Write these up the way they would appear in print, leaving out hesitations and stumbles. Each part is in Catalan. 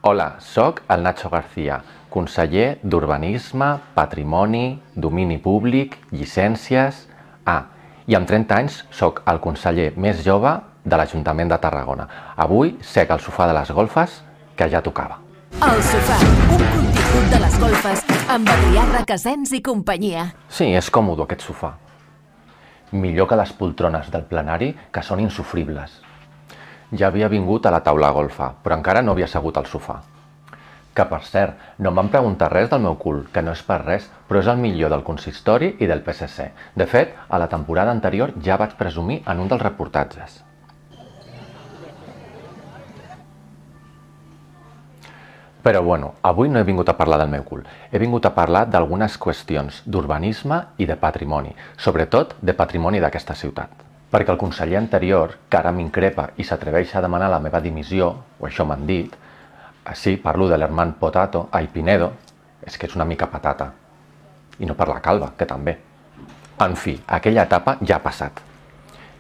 Hola, soc el Nacho García, conseller d'Urbanisme, Patrimoni, Domini Públic, Llicències... i amb 30 anys soc el conseller més jove de l'Ajuntament de Tarragona. Avui sec al sofà de les golfes, que ja tocava. El Sofà, un contingut de les golfes amb Adrià Requesens i companyia. Sí, és còmode aquest sofà. Millor que les poltrones del plenari, que són insofribles. Ja havia vingut a la taula golfa, però encara no havia assegut al sofà. Que, per cert, no em van preguntar res del meu cul, que no és per res, però és el millor del consistori i del PSC. De fet, a la temporada anterior ja vaig presumir en un dels reportatges. Però bueno, avui no he vingut a parlar del meu cul. He vingut a parlar d'algunes qüestions d'urbanisme i de patrimoni, sobretot de patrimoni d'aquesta ciutat. Perquè el conseller anterior, que ara m'increpa i s'atreveix a demanar la meva dimissió, o això m'han dit, sí, parlo de l'Herman Potato, Pinedo, és que és una mica patata. I no per la calva, que també. En fi, aquella etapa ja ha passat.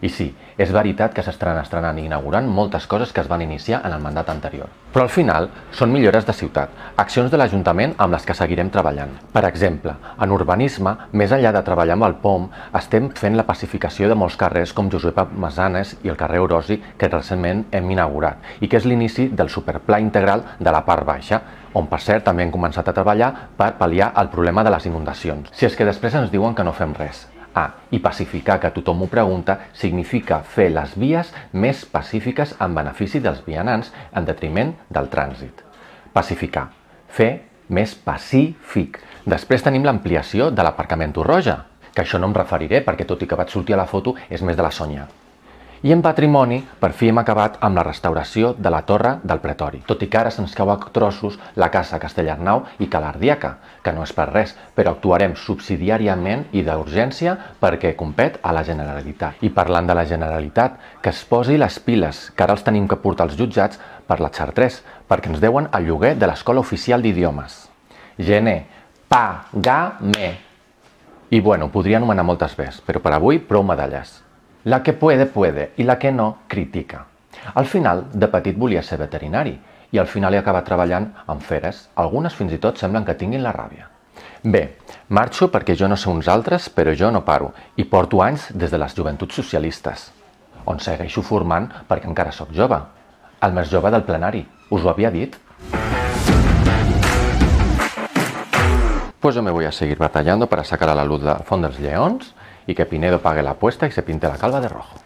I sí, és veritat que s'estan estrenant i inaugurant moltes coses que es van iniciar en el mandat anterior. Però al final són millores de ciutat, accions de l'Ajuntament amb les que seguirem treballant. Per exemple, en urbanisme, més enllà de treballar amb el POM, estem fent la pacificació de molts carrers com Josepa Masanes i el carrer Orosi, que recentment hem inaugurat, i que és l'inici del superpla integral de la part baixa, on per cert també hem començat a treballar per pal·liar el problema de les inundacions. Si és que després ens diuen que no fem res. I pacificar, que tothom ho pregunta, significa fer les vies més pacífiques en benefici dels vianants en detriment del trànsit. Pacificar. Fer més pacífic. Després tenim l'ampliació de l'aparcament Torroja, que això no em referiré perquè tot i que vaig sortir a la foto és més de la Sònia. I en patrimoni, per fi hem acabat amb la restauració de la Torre del Pretori, tot i que ara se'ns cau a trossos la Casa Castellarnau i Ca l'Ardiaca, que no és per res, però actuarem subsidiàriament i d'urgència perquè compet a la Generalitat. I parlant de la Generalitat, que es posi les piles, que ara els tenim que portar als jutjats per la Xar3, perquè ens deuen el lloguer de l'Escola Oficial d'Idiomes. Gener, pagame. I bueno, podria anomenar moltes més, però per avui prou medalles. La que puede, puede, i la que no, critica. Al final, de petit volia ser veterinari, i al final he acabat treballant amb feres. Algunes fins i tot semblen que tinguin la ràbia. Bé, marxo perquè jo no sé uns altres, però jo no paro, i porto anys des de les joventuts socialistes, on segueixo formant perquè encara sóc jove. El més jove del plenari, us ho havia dit? Pues yo me voy a seguir batallando para sacar a la luz la Font dels Lleons y que Pinedo pague la apuesta y se pinte la calva de rojo.